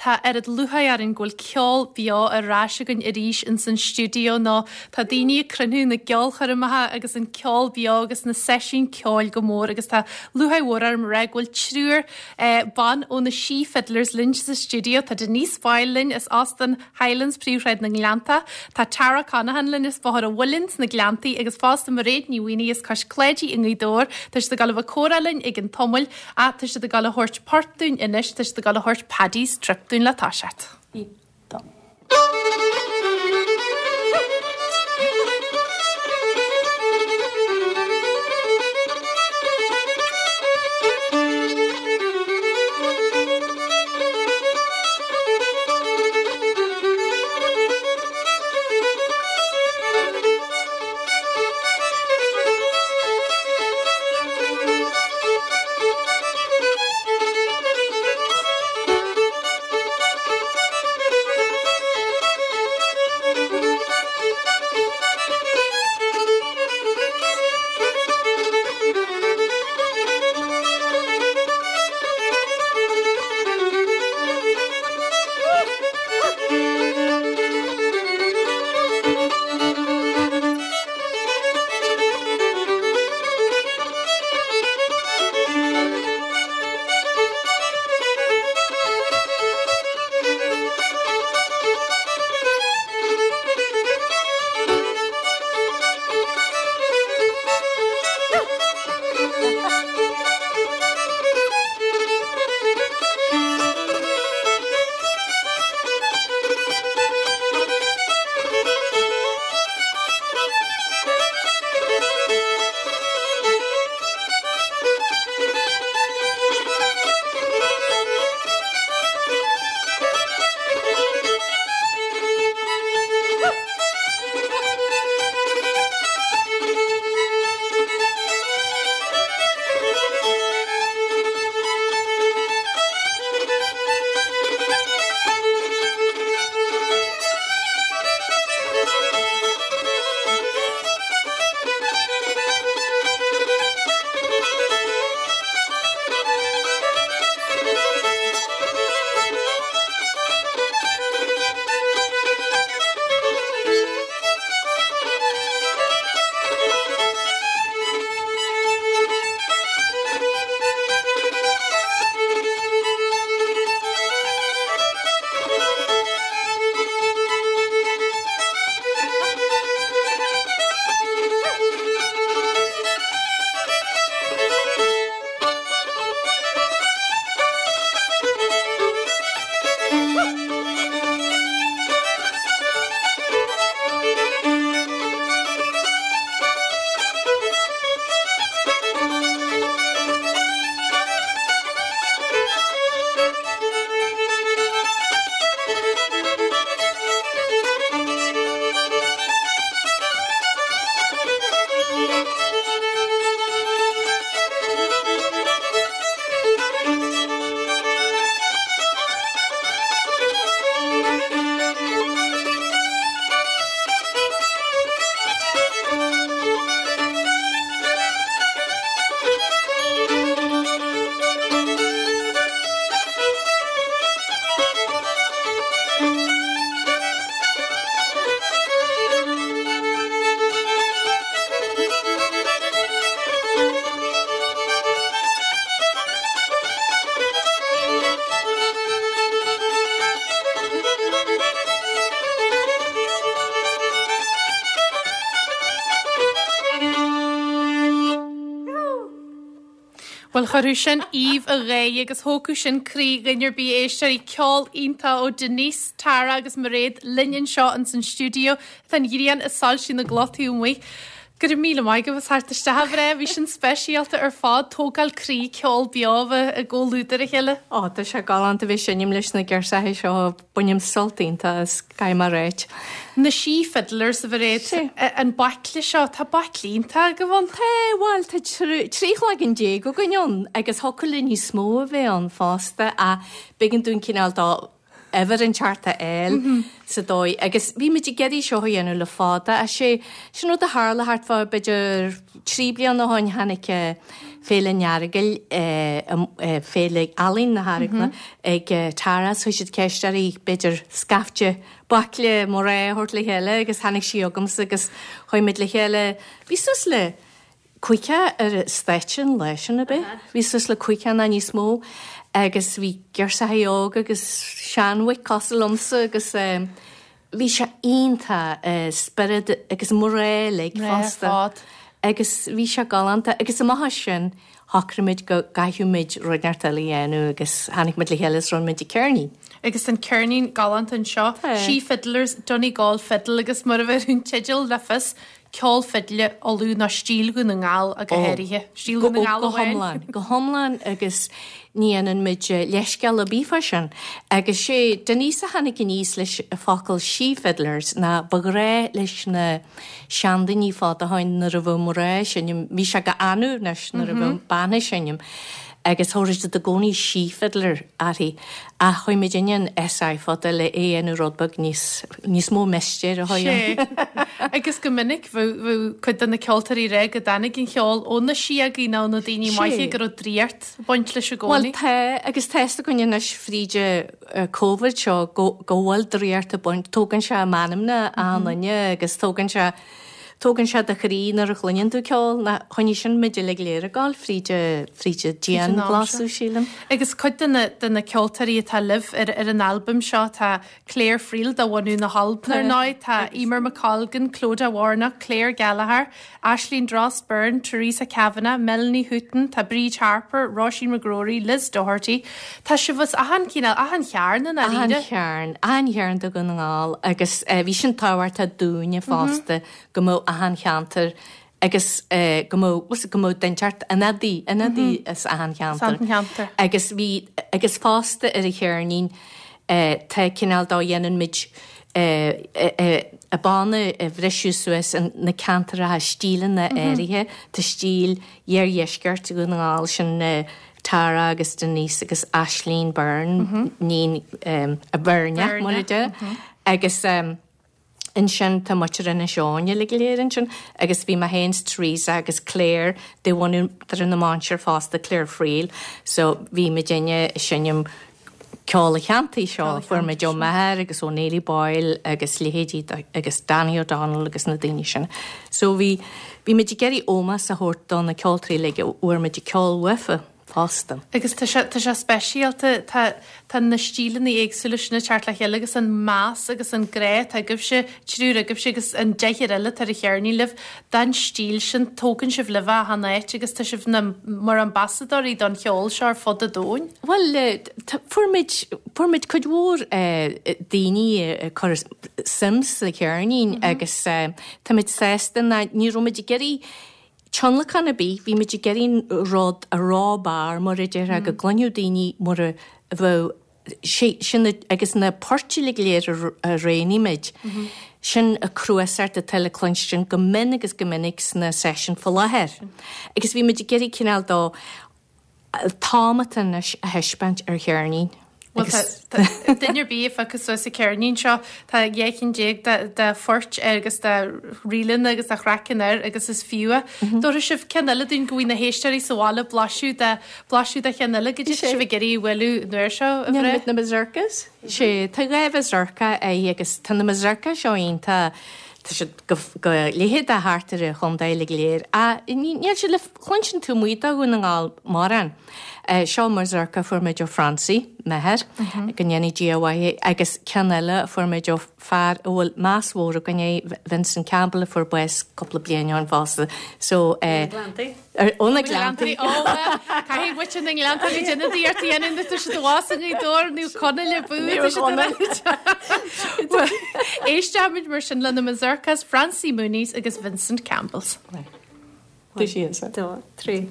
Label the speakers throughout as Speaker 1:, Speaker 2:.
Speaker 1: tá oiread lúcháir orainn go bhfuil ceol beo ar ais againn arís ins an stiúideo nó tá daoine ag cruinniú na gceolchoirmeacha agus an ceol beo agus na seisiúin ceoil go mór agus tá lúcháir mhór orm a rá go bhfuil triúr ban ó na Sí Fiddlers linn sa stiúideo. Tá Denise Boyle linn as Óstán Highlands, Príomhshráid na nGleanntach. Tá Tara Conaghan linn as Bóthar an Mhuilinn sna Gleanntaí agus fosta Mairéad Ní Mhaonaigh as Cois Cláidí i nGaoth Dobhair. Tá siad ag dul a bheith ag comhrá linn ag an tamall ach tá siad ag dul a thabhairt port dúinn anois, tá siad ag dul a thabhairt Paddy's Trip dúinn le toiseacht. Bhuel, chuirfeadh sin aoibh a gháire agus thógfadh sin croí dhuine ar bith, a éisteoirí. Ceol iontach ó Denise, Tara agus Mairéad linn anseo ins an stiúideo. Tá an ghrian ag soilsiú na gcloch taobh amuigh. Go raibh míle maith agaibh as theacht isteach a mhná, bhí sin speisialta ar fad, tógáil croí, ceol beo a bheith i gcomhluadar a chéile.
Speaker 2: Ó, tá sé galánta bheith ag seinm leis na girseachaí seo, bainim sult iontach as, caithfidh mé a ráit.
Speaker 1: Na Sí Fiddlers, a Mhairéad, an baicle seo, tá baicle iontach agaibh ann.
Speaker 2: Tá, bhuel, tá 13 cloigeann againn ann agus thiocfadh le níos mó a bheith ann fosta ach b'éigean dúinn cineál de uimhir inteacht a fháil sa dóigh agus bhí muid ag iarraidh seo a dhéanamh le fada ach sé sin rud a tharla thart fá b'fhéidir trí bliana ó shin tháinig. Féile an Earagail, Féile Ealaíon na hEaragla ag Tara so chuir siad ceist uirthi b'fhéidir scaifte baicle mná a thabhairt le chéile agus tháinig sí chugamsa agus chuaigh muid le chéile, bhí suas le 50 ar an stáitse an lá sin ab ea? Bhí suas le 50 nó níos mó agus bhí girseachaí óga agus seanmhuic cosúil liomsa agus bhí sé iontach, spiorad agus mná uilig fosta agus bhí sé galánta agus amach as sin shocraigh muid go gcaithfeadh muid rud inteacht eile a dhéanamh agus tháinig muid le chéile is rinne muid an ceirnín.
Speaker 1: Agus an ceirnín galánta anseo, She Fiddlers, Donegal Fiddle agus mar a bheir an teideal le fios, ceol fidle Uladh nó stíl Dhún na nGall ach go háirithe. Stíl Dhún na nGall
Speaker 2: amháin. Go hiomlán, go hiomlán agus ní dhéanann muid leithscéal ar bith fá sin. Agus sé Denise a tháinig aníos leis an focal she fiddlers ná ba ghnáth leis na seandaoine fad ó shoin nuair a bheadh mná ag seinm, bhí sé go annamh anois nuair a bheadh bean ag seinm agus thabharfadh siad i gcónaí she fiddler uirthi ach chuaigh muidinne an SI fada le é a dhéanamh rud beag níos, níos mó mistéir a chuaigh ann.
Speaker 1: Sé. Agus go minic bheadh, bheadh cuid de na ceoltóirí ag rá go dtáinig an cheol ó na síogaí nó ó na daoine maithe go raibh draíocht ag baint leis i
Speaker 2: gcónaí. Bhuel tá, agus tá fhios againn anois fríd an Covid seo go, go bhfuil draíocht ag baint, tógann sé meanmna achan duine agus tógann sé, Tógann sé do chroí nuair a chluineann tú ceol, ná choinnigh sin muid uilig go léir ag gabháil fríd fríd an dianghlasú, sílim.
Speaker 1: Agus cuid de na de na ceoltóirí atá libh ar ar an albam seo, tá Clare Friel de bhunadh na hAlban ar ndóigh, tá Emer McColgan, Clodagh Warnock, Claire Gallagher, Aisling Drost Byrne, Teresa Kavanagh, Melanie Hutton, tá Bríd Harper, Róisín McGrory, Liz Doherty. Tá sibh as achan chineál, achan chearn i
Speaker 2: ndáiríre. Achan chearn, achan chearn de Dhún na nGall agus bhí sin tábhachtach dúinne fosta go mbeadh achan cheantar agus go mbeadh, go mbeadh duine inteacht, ionadaí, ionadaí as achan cheantar. Agus bhí, agus fosta ar an cheirnín tá cineál dá dhéanann muid an banna a bhriseadh suas na ceantaracha, stíleanna áirithe, tá stíl iardheisceart Dhún na nGall, sin Tara agus Denise agus Aisling Byrne, níon a Bheirneach mar a deir, agus ansin tá muintir Inis Eoghain uilig go léir ansin agus bhí mé féin 's Teresa agus Claire de bhunadh na Mainistir fosta, Claire Friel, so bhí muidinne ag seinm ceol an cheantair seo a fuair muid ó m'athair agus ó Neilí Boyle agus leithéidí agus Danny O'Donnell agus na daoine sin. So bhí, bhí muid ag iarraidh ómós a thabhairt do na ceoltóirí uilig a bhfuair muid an ceol uafa fosta.
Speaker 1: Agus tá sé, tá sé speisialta, tá, tá na stíleanna éagsúla sin ag teacht le chéile agus an meas agus an grá atá agaibhse, triúr agaibhse agus an deichniúr eile atá ar an cheirnín libh, don stíl sin, tógann sibh libh é achan áit agus tá sibh na, mar ambasadóirí don cheol seo ar fud an domhain.
Speaker 2: Bhuel, fuair muid, fuair muid cuid mhór daoine ag cur suim sa cheirnín agus táimid sásta ná ní raibh muid ag iarraidh tionlacan ar bith, bhí muid ag iarraidh rud a raibh barr mar a déarfá go gcluinfeadh daoine mar a bheadh sé sin agus na poirt uilig go léir a roghnaigh muid, sin an cnuasach atá le cluinstin go mion agus go minic sna seisiúin faoi láthair. Agus bhí muid ag iarraidh cineál dó an t-am atá anois a thaispeáint ar cheirnín.
Speaker 1: Bhuel, tá duine ar bith a phiocfas suas an ceirnín seo, tá 12 cinn de phoirt air agus de ríleanna agus de chraiceann air agus is fiú é. Tabharfaidh sibh ceann eile dúinn go bhfaighidh na héisteoirí sa bhaile blaiseadh de, blaiseadh de cheann eile goidé tá sibh ag iarraidh a bhualadh an uair seo, a
Speaker 2: Bhreá. Na Mazurkas? Sé, tá dhá mhazurka air agus tá na mazurka seo iontach, tá siad go, go leitheadach thart ar an chontae uilig go léir ach níl siad le cluinstin taobh amuigh de Dhún na nGall mórán. Seo mazurka a fuair muid ó Francie, m'athair, go ndéana Dia a mhaith é, agus ceann eile a fuair muid ó fear a bhfuil meas mhór againn air, Vincent Campbell, a fuair bás cúpla bliain ó shin fosta. So,
Speaker 1: Ó na Gleanntaí. Ó na Gleanntaí. Ó, bhuel, caithfidh muintir na nGleanntaí a déanamh d'iarracht a dhéanamh nuair atá siad abhus i nGaoth Dobhair nó Conaill a bú, tá siad ar Bhuel, éisteoimid mar sin le na Mazurkas, Francie Mooney's agus Vincent Campbell's.
Speaker 2: 2, 3.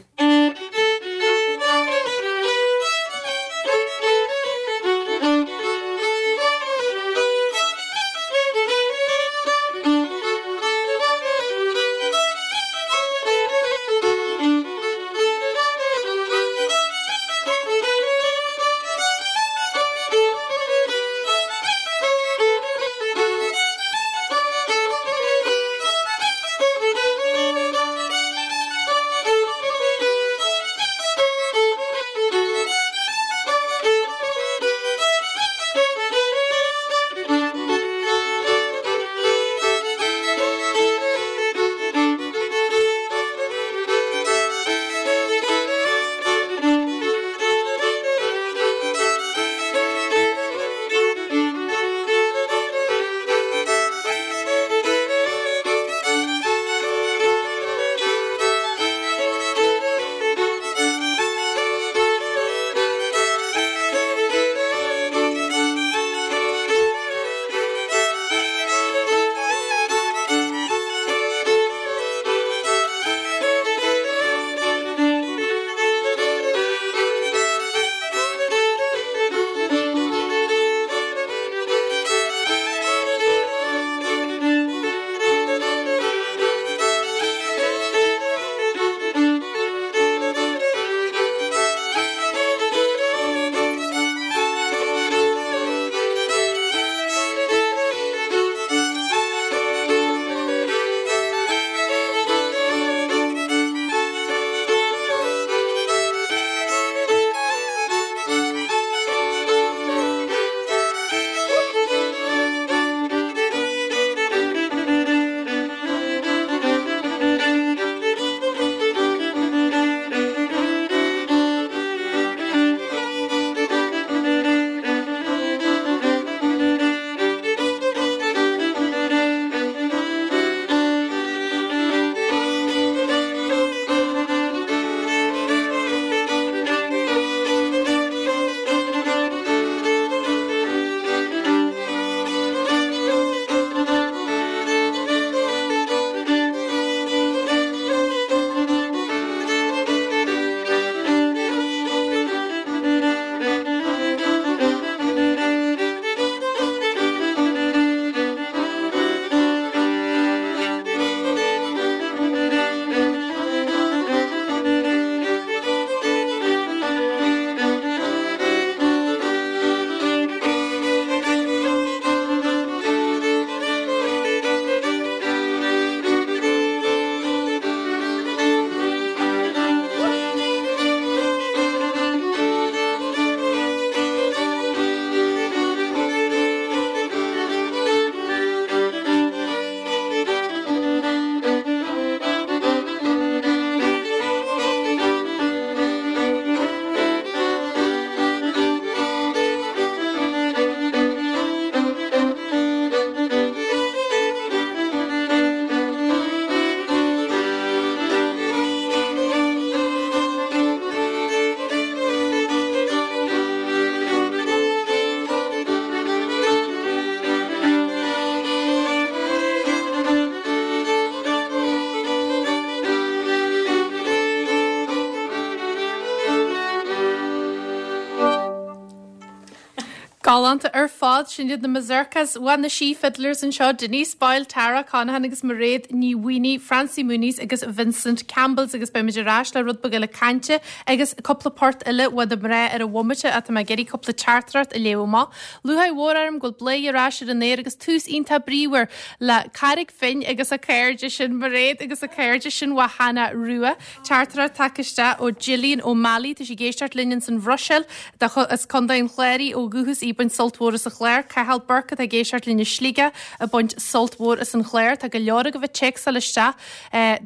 Speaker 1: Galánta ar fad, sin iad na Mazurkas uaidh na Sí Fiddlers anseo, Denise Boyle, Tara Conaghan agus Mairéad Ní Mhaonaigh, Francie Mooneys agus Vincent Campbells agus beimid ar ais le rud beag eile cainte agus cúpla port eile uaidh na mná ar an bhomaite ach tá mé ag iarraidh cúpla teachtaireacht a léamh amach. Lúcháir mhór orm go bhfuil Bladhaire ar ais ar an aer agus tús iontach bríomhar le Carraig Finn agus a cairde sin Mairéad agus a cairde sin uaidh Hannah Rua. Teachtaireacht tagtha isteach ó Gillian O'Malley, tá sí ag éisteacht linn ins an Bhruiséil, as Contae an Chláir í ó dhúchas, í ag baint sult mhór as an chlár. Cathal Burke atá ag éisteacht linn i Sligeach ag baint sult mhór as an chlár. Tá go leor agaibh ag téacsáil isteach.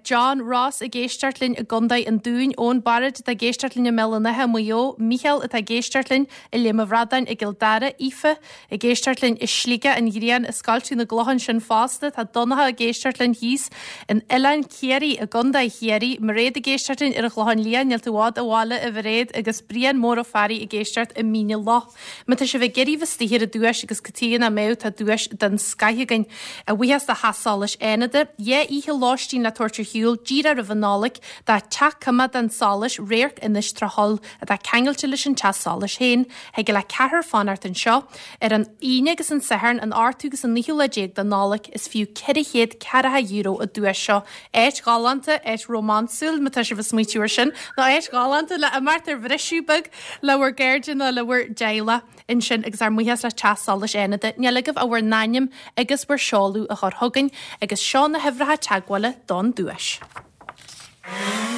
Speaker 1: John Ross ag éisteacht linn i gContae an Dúin, Eoin Barrett atá ag éisteacht linn i mBéal an Átha i Maigh Eo, Mícheál atá ag éisteacht linn i Léim an Bhradáin i gCill Dara, Aoife Ag éisteacht linn i Sligeach, an ghrian ag scoilteadh na gclochán sin fosta. Tá Donncha ag éisteacht linn thíos in Oileán Ciarraí i gContae Chiarraí, Mairéad ag éisteacht linn ar an Chlochán Liath, níl tú i bhfad ó bhaile a Mhairéad, agus Brian Mór Ó Fearraigh ag éisteacht i Mín na Loch. Má tá sibh ag iarraidh bheith istigh ar an duais agus cad chuige nach mbeadh, tá duais den scoith againn. A bhuíochas do Theach Solais Fhánada, 2 oíche lóistín le tabhairt ar shiúl díreach roimh an Nollaig, do Teach Coimeádán Solais, Radharc Inis Trá Tholl, atá ceangailte leis an teach solais féin. Thig le ceathrar fanacht anseo. Ar an Aoine agus an Satharn, an 8ú agus an 9ú lá de Nollaig, is fiú €440 an duais seo. Áit ghalánta, áit rómánsúil, má tá sibh ag smaoitiú ar sin, nó áit ghalánta le imeacht ar bhriseadh beag le bhur gcairde nó le bhur dteaghlach ansin agus ár mbuíochas le Teach Solais Fhánada. Níl agaibh ach bhur n-ainm agus bhur seoladh a chur chugainn agus seo na huimhreacha teagmhála don duais.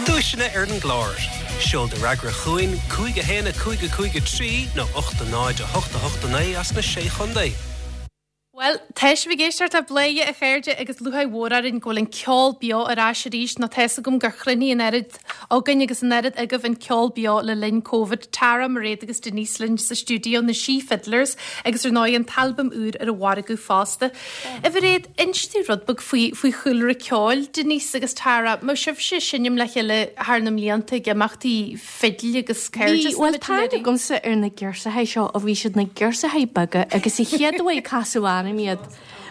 Speaker 3: Duaiseanna ar an gclár. Seol do fhreagra chugainn, 5 1 5 5 3 nó 8 0 8 8 9 as na Sé Chontae.
Speaker 1: Bhuel, tá sibh ag éisteacht le Bladhaire, a chairde, agus lúcháir mhór orainn go bhfuil an ceol beo ar ais arís, nó tá's agam gur chruinnigh an oiread againn agus an oiread agaibh an ceol beo le linn Covid. Tara, Mairéad agus Denise linn sa stiúideo, na Sí Fiddlers, agus ar ndóigh an t-albam úr ar an mhargadh fosta. A Mhairéad, inis dúinn rud beag faoi faoi chúlra ceoil Denise agus Tara. An raibh sibhse ag seinm le chéile thar na mblianta ag imeachtaí fidil agus
Speaker 2: cairdeas Bhí, bhuel tá aithne agamsa ar na girseachaí seo ó bhí siad ina girseachaí beaga agus an chéad uair a casadh orm iad,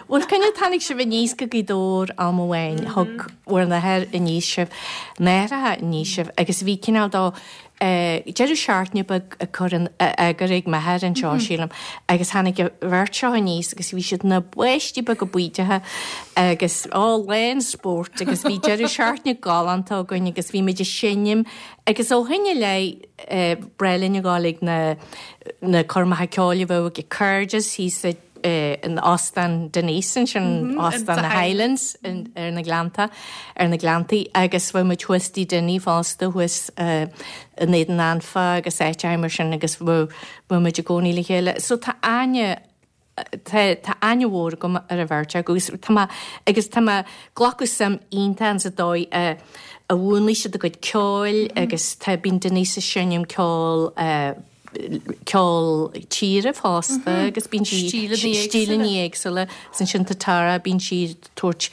Speaker 2: bhuel cineál tháinig sibh aníos go Gaoth Dobhair am amháin, thug bhur n-athair aníos sibh, n-aithreacha aníos sibh agus bhí cineál de deireadh seachtaine beag á chur in eagar ag m'athair anseo, sílim, agus tháinig an bheirt seo aníos agus bhí siad ina bpáistí beaga baoideacha agus, á, lán spóirt agus bhí deireadh seachtaine galánta againn agus bhí muid ag seinm agus ó shin i leith b'fhearr linn a ghabháil ag na, na coirmeacha ceoil a bheadh ag Cairdeas thíos i in Óstán Denise ansin, Óstán na Highlands ar na Gleannta, ar na Gleanntaí agus bheadh muid thuas Tigh Dinny fosta thuas in Éadan Anfa agus áiteacha mar sin agus bheadh muid i gcónaí le chéile. So tá aithne, tá tá aithne mhór agam ar an bheirt acu agus tá mé, agus tá mé glacadh suim iontach insa dóigh a a mhúnlaigh siad a gcuid ceoil agus tá, bíonn Denise ag seinm ceol ceol tíre fosta agus bíonn sí stíleanna éagsúla agus ansin tá Tara, bíonn sí ag tabhairt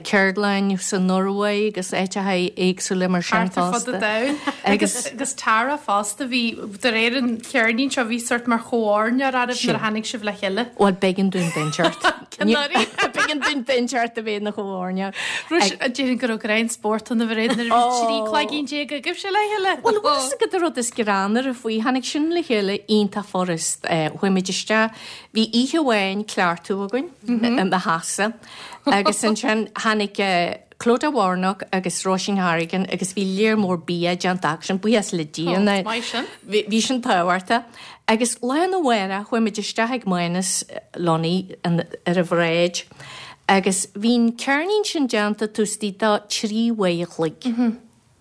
Speaker 2: ceardlann sa Norway agus áiteacha éagsúla mar sin
Speaker 1: fosta. Thart ar fud an domhain. Agus agus Tara fosta, bhí, de réir an cheirnín seo, bhí sort mar chomhairneoir oraibh nuair a tháinig sibh le chéile.
Speaker 2: Bhuel, b'éigean dúinn duine inteacht. B'éigean dúinn duine inteacht a bheith ina chomhairneoir.
Speaker 1: Rúis, déarfainn go raibh greann spórt ann a Mhairéad nuair a bhí 13 cloigín agaibhse le chéile.
Speaker 2: Bhuel, bhfuil fhios agat an rud is greannmhaire faoi, tháinig sin le chéile iontach furast. Chuaigh muid isteach, bhí oíche amháin cleachtadh againn i mo theachsa agus ansin tháinig Clodagh Warnock agus Róisín Harrigan agus bhí léar mór bia déanta acu sin, buíochas le Dia. Bhí sin tábhachtach. Agus lá arna mhárach chuaigh muid isteach ag Mánas Lunny ar an bhráid agus bhí an ceirnín sin déanta taobh istigh de 3 uair a chloig.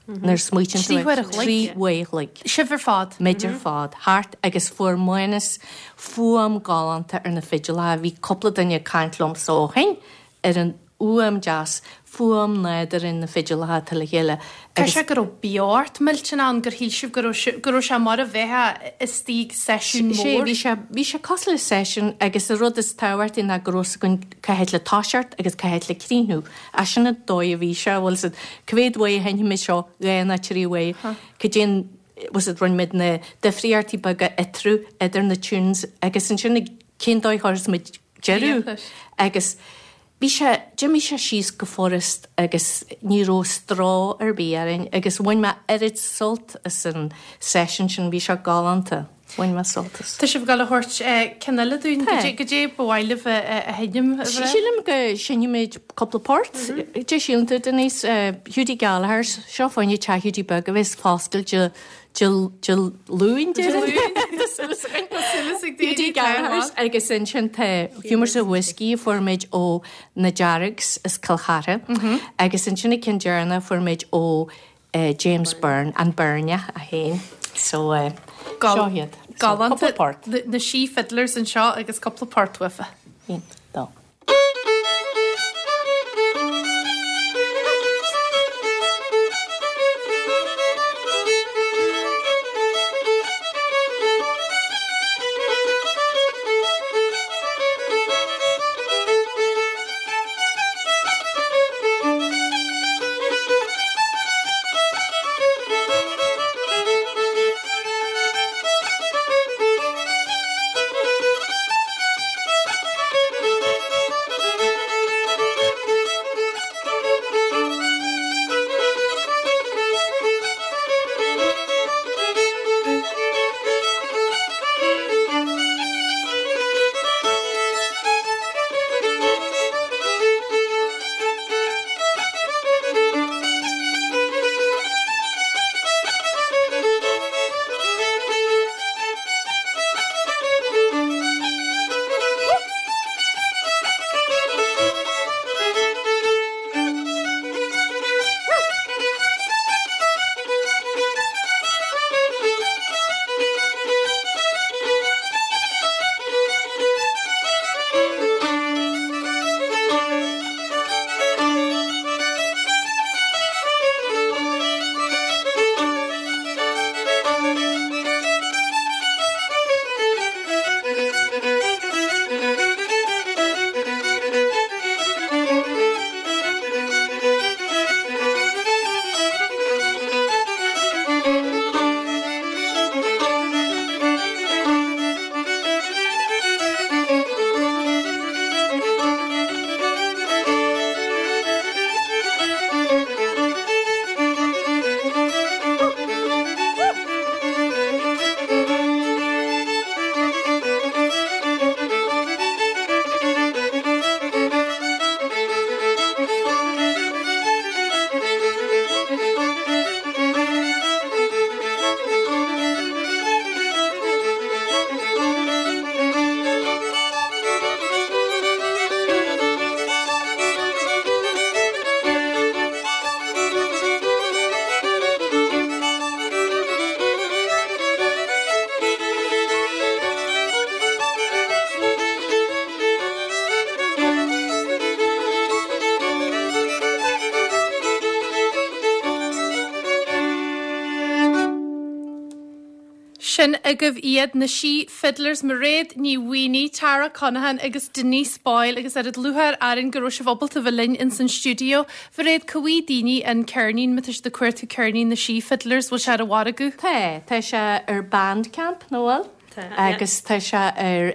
Speaker 2: Nuair a smaoitíonn tú air. 3 uair a chloig.
Speaker 1: Sibh ar fad.
Speaker 2: Muid ar fad. Thart agus fuair Mánas fuaim galánta ar na fidileacha. Bhí cúpla duine ag caint liomsa ó shin ar an fhuaim deas, fuaim nádúrtha na fidileacha atá le chéile
Speaker 1: agus. Caithfidh sé go raibh beocht millteanach ann, gur shíl sibh go raibh sé, go raibh sé mar a bheifeá istigh ag seisiún mór.
Speaker 2: Sé, bhí sé, bhí sé cosúil le seisiún agus an rud is tábhachtaí ná go raibh fhios againn cá háit le toiseacht agus cá háit le críochnú. Ach sin an dóigh a bhí sé, bhfuil fhios agat, cá mhéad uair a sheinnfimid seo, dhá nó trí uair, cad é an, bhfuil fhios agat, rinne muid na difríochtaí beaga eatarthu, idir na tunes agus ansin cén dóigh a chuirfeas muid deireadh agus bhí sé, d'imigh sé síos go furast agus ní raibh stró ar bith orainn agus bhain mé oiread sult as an seisiún sin, bhí sé galánta. Bhain mé sult as.
Speaker 1: Tá sibh ag dul a thabhairt ceann eile dúinn. Tá. Goidé ba mhaith libh a sheinm, a Mhairéad?
Speaker 2: Sílim go seinnfimid cúpla port. Dé síleann tú, Denise? Hiúdaí Gallagher's, seo fá choinne Teach Hiúdaí Beag a bheas foscailte Dé Luain, déarfainn. Tá súil againn.
Speaker 1: Tá súil ag daoine.
Speaker 2: Hiúdaí Gallagher's agus ansin tá Humours of Whiskey a fuair muid ó na Deargs as Cill Chartha agus ansin an ceann deireanach a fuair muid ó James Byrne, an Beirneach é féin. So, seo iad.
Speaker 1: So, cúpla port. Na Sí Fiddlers anseo agus cúpla port uafa.
Speaker 2: Aon, dó.
Speaker 1: Sin agaibh iad, na Sí Fiddlers, Mairéad Ní Mhaonaigh, Tara Conaghan agus Denise Boyle agus oiread lúcháir orainn go raibh sibh ábalta bheith linn ins an stiúideo. Mhairéad, cá bhfaighidh daoine an ceirnín, má tá siad ag cuartú ceirnín na Sí Fiddlers, bhfuil sé ar an mhargadh?
Speaker 2: Tá, tá sé ar Bandcamp, nó bhfuil?
Speaker 1: Tá,
Speaker 2: Agus tá sé ar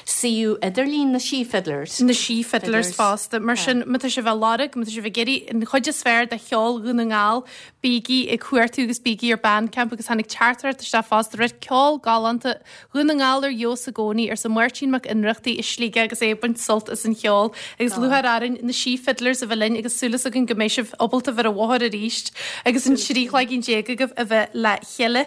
Speaker 2: suíomh idirlín na Sí Fiddlers.
Speaker 1: Na Sí Fiddlers fosta. Mar sin, má tá sibh á lorg, má tá sibh ag iarraidh an chuid is fearr de cheol Dhún na nGall, bígí ag cuartú agus bígí ar Bandcamp agus tháinig teachtaireacht isteach fosta, rud ceol galánta Dhún na nGall ar fheabhas i gcónaí, arsa Máirtín Mac Ionnrachtaigh i Sligeach agus é ag baint sult as an cheol. Agus lúcháir orainn na Sí Fiddlers a bheith linn agus súil againn go mbeidh sibh ábalta bheith ar an bhóthar arís agus an 13 cloigín agaibh a bheith le chéile.